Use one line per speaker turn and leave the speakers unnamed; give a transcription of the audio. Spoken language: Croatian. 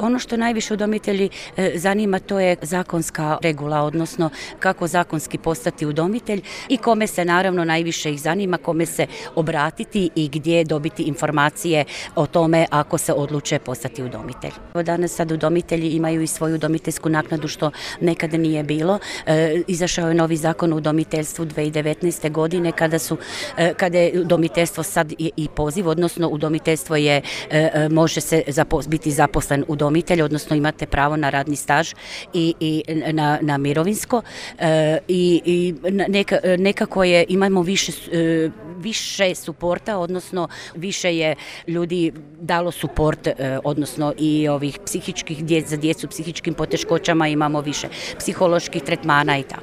Ono što najviše udomitelji zanima, to je zakonska regula, odnosno kako zakonski postati udomitelj i kome se naravno najviše ih zanima, kome se obratiti i gdje dobiti informacije o tome ako se odluče postati udomitelj. Danas sad udomitelji imaju i svoju udomiteljsku naknadu, što nekada nije bilo. Izašao je novi zakon o udomiteljstvu 2019. godine kada je udomiteljstvo sad i poziv, odnosno udomiteljstvo je, može se biti zaposlen udomitelj, odnosno imate pravo na radni staž i na mirovinsko i nekako imamo više suporta, odnosno više je ljudi dalo suport, odnosno i ovih psihičkih, za djecu psihičkim poteškoćama imamo više psiholoških tretmana i tako.